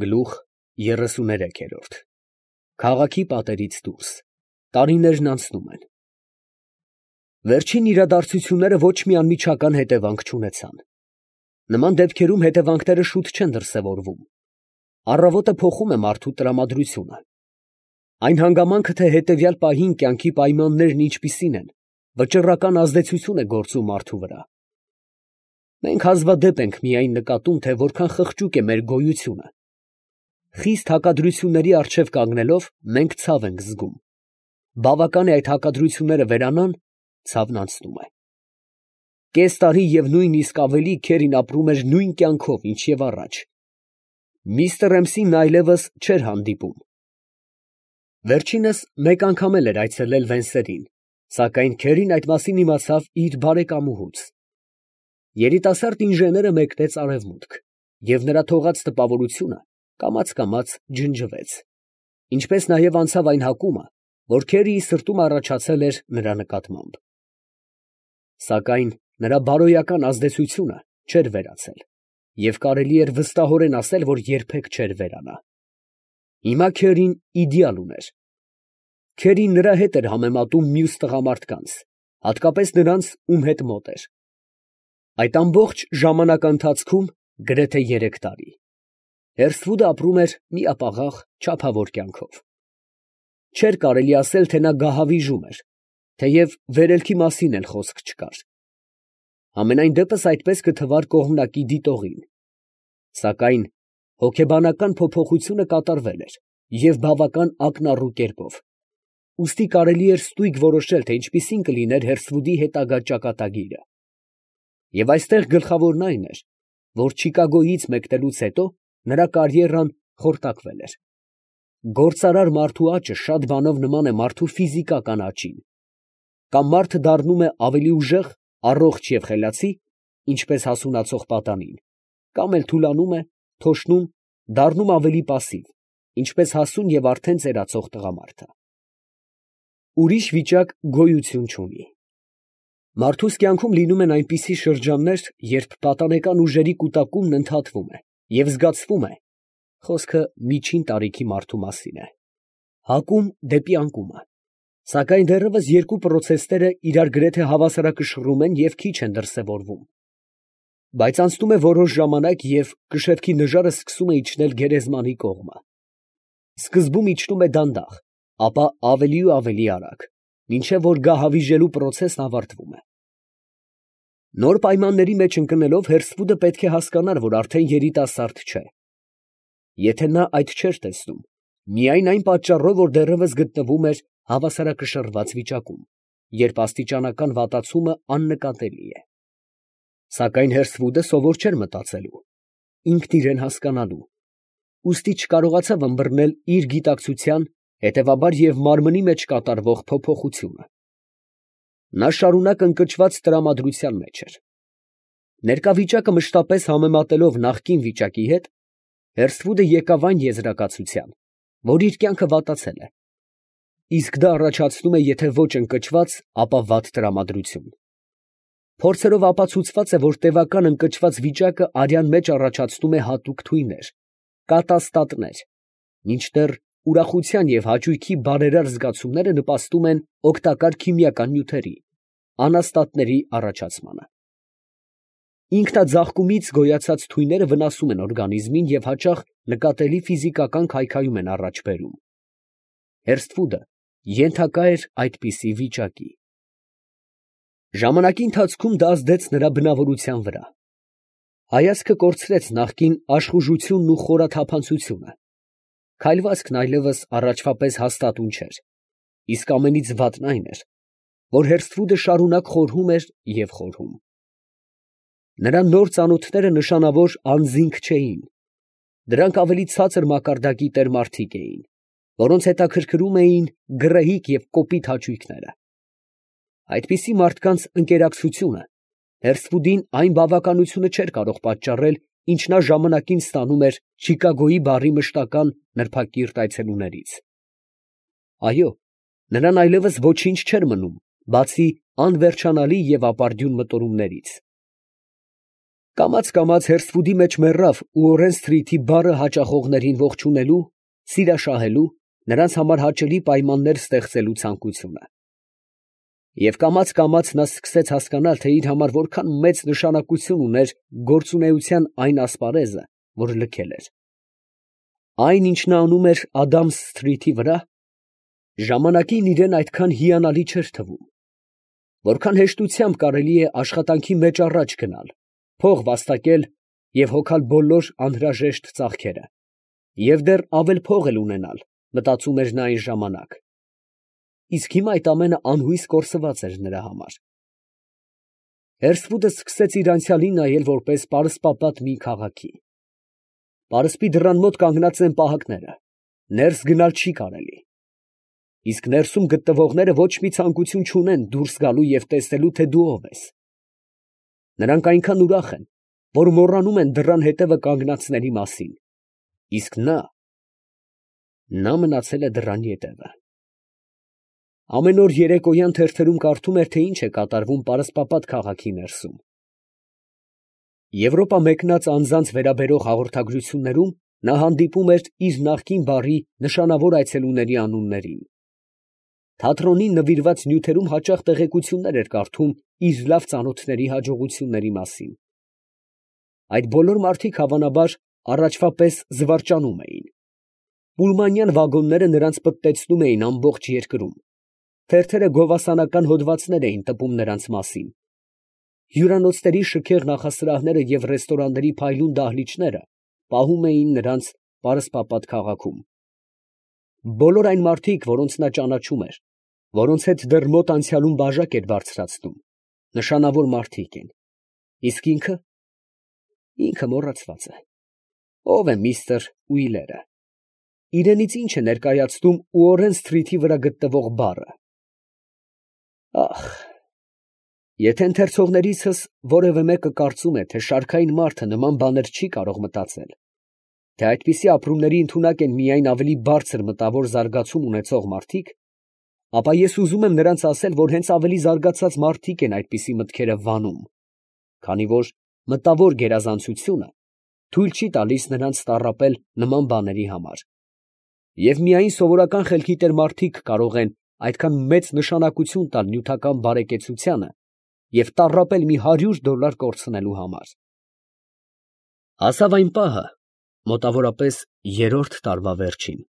Գլուխ 33 Քաղաքի պատերից դուրս, տարիներն անցնում են։ Վերջին իրադարձությունները ոչ մի անմիջական հետևանք չունեցան։ Նման դեպքերում հետևանքները շուտ չեն դրսևորվում։ Առավոտը փոխում է մարդու տրամադրությունը։ Այն հանգամանքը, թե հետևյալ պահին կյանքի պայմաններն ինչպիսին են, վճռական ազդեցություն է գործում մարդու վրա։ Մենք հազվադեպ ենք միայն նկատում, թե որքան խղճուկ է մեր գոյությունը։ Խիստ հակադրությունների առջև կանգնելով, մենք ցավ ենք զգում։ Բավական է այդ հակադրությունները վերանան, ցավն անցնում է։ Կես տարի և նույնիսկ ավելի Քերին ապրում էր նույն կյանքով, ինչ և առաջ։ Միսթր Էմսին այլևս չէր հանդիպում։ Վերջինս մեկ անգամ էր այցելել Վենսերին, սակայն Քերին այդ մասին իմացավ իր բարեկամուհուց։ Երիտասարդ ինժեները մեկնեց արևմուտք, և նրա թողած տպավորությունը կամաց ջնջվեց, ինչպես նաև անցավ այն հակումը, որ Քերիի սրտում առաջացել էր նրա նկատմամբ։ Սակայն նրա բարոյական ազդեցությունը չէր վերացել, և կարելի էր վստահորեն ասել, որ երբեք չէր վերանա։ Հիմա Քերին իդեալ ուներ։ Քերին նրա հետ էր համեմատում մյուս տղամարդկանց, հատկապես նրանց, ում հետ մոտ էր։ Այդ ամբողջ ժամանակաընթացքում գրեթե 3 տարի Հերսթվուդը ապրում էր միապաղաղ, չափավոր կյանքով։ Չէր կարելի ասել, թե նա գահավիժում էր, թեև վերելքի մասին էլ խոսք չկար։ Համենայն դեպս այդպես կթվար կողմնակի դիտողին։ Սակայն հոգեբանական փոփոխությունը կատարվել էր և բավական ակնառու կերպով, ուստի կարելի էր ստույգ որոշել, թե ինչպիսին կլիներ Հերսթվուդի հետագա ճակատագիրը։ Եվ այստեղ գլխավորն այն էր, որ Չիկագոյից մեկնելուց հետո նրա կարիերան խորտակվել էր։ Գործարար մարդու աճը շատ բանով նման է մարդու ֆիզիկական աճին։ Կամ մարդը դառնում է ավելի ուժեղ, առողջ և խելացի, ինչպես հասունացող պատանին, կամ էլ թուլանում է, թոշնում, դառնում ավելի պասիվ, ինչպես հասուն և արդեն ծերացող տղամարդը։ Ուրիշ վիճակ գոյություն չունի։ Մարդուս կյանքում լինում են այնպիսի շրջաններ, երբ պատանեկան ուժերի կուտակումն ընդհատվում է և զգացվում է (խոսքը միջին տարիքի մարդու մասին է) հակում դեպի անկումը, սակայն դեռևս երկու պրոցեսները իրար գրեթե հավասարակշռում են և քիչ են դրսևորվում։ Բայց անցնում է որոշ ժամանակ, և կշեպքի նժարը սկսում է իջնել գերեզմանի կողմը։ Սկզբում իջնում է դանդաղ, ապա ավելի ու ավելի արագ, մինչև որ գահավիժելու պրոցեսն ավարտվում է։ Նոր պայմանների մեջ ընկնելով, Հերսթվուդը պետք է հասկանար, որ արդեն երիտասարդ չէ։ Եթե նա այդ չէր տեսնում, միայն այն պատճառով, որ դեռևս գտնվում էր հավասարակշռված վիճակում, երբ աստիճանական վատացումը աննկատելի է։ Սակայն Հերսթվուդը սովոր չէր մտածելու, ինքն իրան հասկանալու, ուստի չկարողացավ ըմբռնել իր գիտակցության, հետևաբար և մարմնի մեջ կատարվող փոփոխությունը։ Նա շարունակ ընկճված տրամադրության մեջ էր։ Ներկա վիճակը մշտապես համեմատելով նախկին վիճակի հետ, Հերսթվուդը եկավ այն եզրակացության, որ իր կյանքը վատացել է։ Իսկ դա առաջացնում է եթե ոչ ընկճված, ապա վատ տրամադրություն։ Փորձերով ապացուցված է, որ տևական ընկճված վիճակը արյան մեջ առաջացնում է հատուկ թույներ, կատաստատներ, մինչդեռ ուրախության և հաճույքի բարերար զգացումները նպաստում են օգտակար քիմիական նյութերի, անաստատների առաջացմանը։ Ինքնաձաղկումից գոյացած թույները վնասում են օրգանիզմին և հաճախ նկատելի ֆիզիկական քայքայում են առաջ բերում։ Հերսթվուդը ենթակա էր այդպիսի վիճակի։ Ժամանակի ընթացքում դա ազդեց նրա բնավորության վրա։ Հայացքը կորցրեց նախկին աշխուժությունն ու խորաթափանցությունը։ Քայլվածքն այլևս առաջվա պես հաստատուն չէր, իսկ ամենից վատն այն էր, որ Հերսթվուդը շարունակ խորհում էր և խորհում։ Նրա նոր ծանոթները նշանավոր անձինք չէին։ Դրանք ավելի ցածր մակարդակի տերմարդիկ էին, որոնց հետաքրքրում էին գռեհիկ և կոպիտ հաճույքները։ Այդպիսի մարդկանց ընկերակցությունը Հերսթվուդին այն բավականությունը չէր կարող պատճառել, ինչ նա ժամանակին ստանում էր Չիկագոյի բարի մշտական նրբակիրթ այցելուներից։ Այո, նրան այլևս ոչինչ չէր մնում, բացի անվերջանալի և ապարդյուն մտորումներից։ Կամաց Հերսֆուդի մեջ մեռավ ու Օրեն Սթրիթի բառը հաճախողներին ողջունելու, սիրաշահելու, նրանց համար հաճելի պայմաններ ստեղծելու ցանկությունը։ Եվ կամաց նա սկսեց հասկանալ, թե իր համար որքան մեծ նշանակություն ուներ գործունեության այն ասպարեզը, որ լքել էր։ Այն, ինչ նա անում էր Ադամս Սթրիթի վրա, ժամանակին իրեն այդքան հիանալի չէր թվում։ Որքան հեշտությամբ կարելի է աշխատանքի մեջ առաջ գնալ, փող վաստակել և հոգալ բոլոր անհրաժեշտ ծախքերը, և դեռ ավել փող էլ ունենալ, մտածում էր նա այն ժամանակ։ Իսկ հիմա այդ ամենը անհույս կորսված էր նրա համար։ Հերսֆուդը սկսեց իր անցյալին նայել որպես պարսպապատ մի քաղաքի։ Պարսպի դռան մոտ կանգնած են պահակները, ներս գնալ չի կարելի։ Իսկ ներսում գտնվողները ոչ մի ցանկություն չունեն դուրս գալու և տեսնելու, թե դու ով ես։ Նրանք այնքան ուրախ են, որ մոռանում են դռան հետևը կանգնածների մասին։ Իսկ նա մնացել է դռան ետևը։ Ամեն օր երեկոյան թերթերում կարդում էր, թե ինչ է կատարվում պարսպապատ քաղաքի ներսում։ Եվրոպա մեկնած անձանց վերաբերող հաղորդագրություններում նա հանդիպում էր իր նախկին բարի նշանավոր այցելուների անուններին։ Թատրոնին նվիրված նյութերում հաճախ տեղեկություններ էր կարդում իր լավ ծանոթների հաջողությունների մասին։ Այդ բոլոր մարդիկ հավանաբար առաջվա պես զվարճանում էին։ Պուլմանյան վագոնները նրանց պտտեցնում էին ամբողջ երկրում։ Թերթերը գովասանական հոդվածներ էին տպում նրանց մասին։ Հյուրանոցների շքեղ նախասրահները և ռեստորանների փայլուն դահլիճները պահում էին նրանց պարսպապատ քաղաքում։ Բոլոր այն մարդիկ, որոնց նա ճանաչում էր, որոնց հետ դեռ մոտ անցյալում բաժակ էր բարձրացնում, նշանավոր մարդիկ են։ Իսկ ինքը մոռացված է։ Ո՞վ է միստր Ուիլերը։ Իրենից ինչ է ներկայացնում Ուորեն Սթրիթի վրա գտնվող բառը։ Ախ, եթե ընթերցողներիցս որևէ մեկը կարծում է, թե շարքային մարդը նման բաներ չի կարող մտածել, թե այդպիսի ապրումների ընդունակ են միայն ավելի բարձր մտավոր զարգացում ունեցող մարդիկ, ապա ես ուզում եմ նրանց ասել, որ հենց ավելի զարգացած մարդիկ են այդպիսի մտքերը վանում, քանի որ մտավոր գերազանցությունը թույլ չի տալիս նրանց տառապել նման բաների համար։ Եվ միայն սովորական խելքի տեր մարդիկ կարող են այդքան մեծ նշանակություն տալ նյութական բարեկեցությանը և տառապել մի $100 կորցնելու համար։ Հասավ այն պահը, մոտավորապես 3-րդ տարվա վերջին,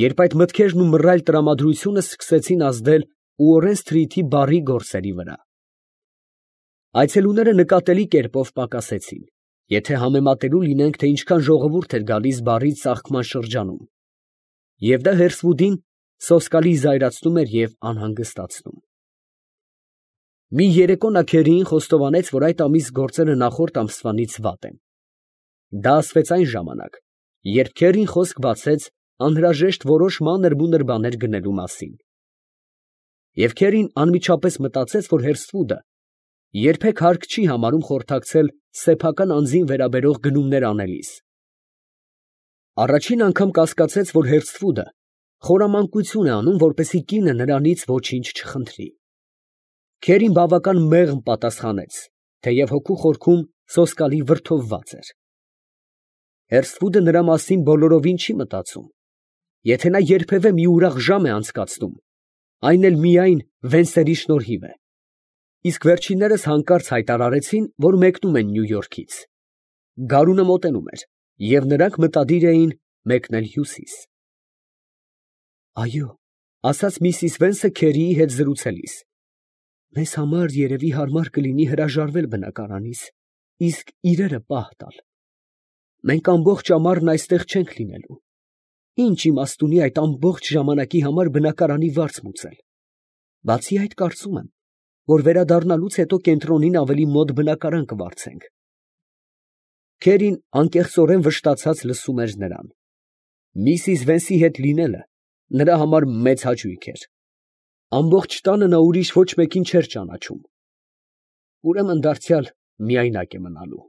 երբ այդ մտքերն ու մռայլ տրամադրությունը սկսեցին ազդել Ուորեն Սթրիթի բարի գործերի վրա։ Այցելուները նկատելի կերպով պակասեցին, եթե համեմատելու լինենք, թե ինչքան ժողովուրդ էր գալիս բարի ծաղկման շրջանում, և դա Հերսվուդին սոսկալի զայրացնում էր և անհանգստացնում։ Մի երեկո նա քերիին խոստովանեց, որ այդ ամիս գործերը նախորդ ամսվանից վատ են։ Դա ասվեց այն ժամանակ, երբ քերին խոսք բացեց անհրաժեշտ որոշ մանր-մունր բաներ գնելու մասին։ Եվ քերին անմիջապես մտածեց, որ Հերսվուդը երբեք հարկ չի համարում խորհրդակցել սեփական անձին վերաբերող գնումներ անելիս։ Առաջին անգամ կասկածեց, որ Հերսվուդը խորամանկություն է անում, որպեսզի կինը նրանից ոչինչ չխնդրի։ Քերին բավական մեղմ պատասխանեց, թեև հոգու խորքում սոսկալի վրդովված էր։ Հերսվուդը նրա մասին բոլորովին չի մտածում։ Եթե նա երբևէ մի ուրախ ժամ է անցկացնում, այն էլ միայն Վենսերի շնորհիվ է։ Իսկ վերջիններս հանկարծ հայտարարեցին, որ մեկնում են Նյու Յորքից։ Գարունը մոտենում էր, և նրանք մտադիր էին մեկնել հյուսիս։ Այո, ասաց միսիս Վենսը Քերիի հետ զրուցելիս, մեզ համար երևի հարմար կլինի հրաժարվել բնակարանից, իսկ իրերը պահ տալ։ Մենք ամբողջ ամառն այստեղ չենք լինելու։ Ինչ իմաստ ունի այդ ամբողջ ժամանակի համար բնակարանի վարձ մուծել։ Բացի այդ, կարծում եմ, որ վերադառնալուց հետո կենտրոնին ավելի մոտ բնակարան կվարձենք։ Քերին անկեղծորեն վշտացած լսում էր նրան։ Միսիս Վենսի հետ լինելը նրա համար մեծ հաճույք էր։ Ամբողջ տանը նա ուրիշ ոչ մեկին չէր ճանաչում։ Ուրեմն դարձյալ միայնակ է մնալու։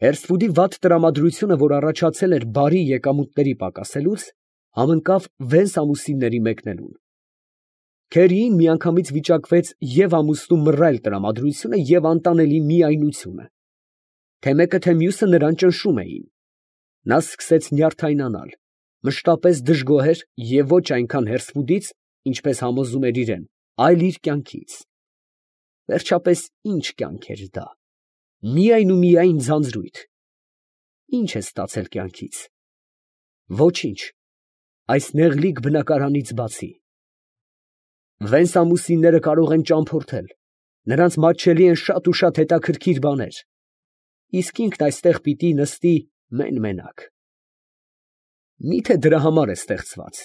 Հերսվուդի վատ տրամադրությունը, որ առաջացել էր բարի եկամուտների պակասելուց, համընկավ Վենս ամուսինների մեկնելուն։ Քերիին միանգամից վիճակվեց և ամուսնու մռայլ տրամադրությունը և անտանելի միայնությունը. թե մեկը, թե մյուսը նրան ճնշում էին. նա սկսեց նյարդայնանալ, մշտապես դժգոհեր և ոչ այնքան հերսվուտից, ինչպես համոզում էր իրան, այլ իր կյանքից. վերջապես ի՞նչ կյանք էր դա, միայն ու միայն ձանձրույթ. ի՞նչ է ստացել կյանքից, ոչինչ, այս նեղլիկ բնակարանից բացի. վենց ամուսինները կարող են ճամփորդել, նրանց մատչելի են շատ ու շատ հետաքրքիր բաներ, իսկ ինքն այստեղ պիտի նստի մեն֊մենակ. մի՞թե դրա համար է ստեղծված։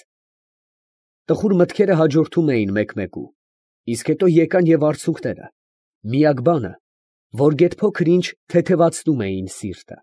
Տխուր մտքերը հաջորդում էին մեկ֊մեկու, իսկ հետո եկան և արցունքները, միակ բանը, որ գեթ փոքր ինչ թեթևացնում էին սիրտը։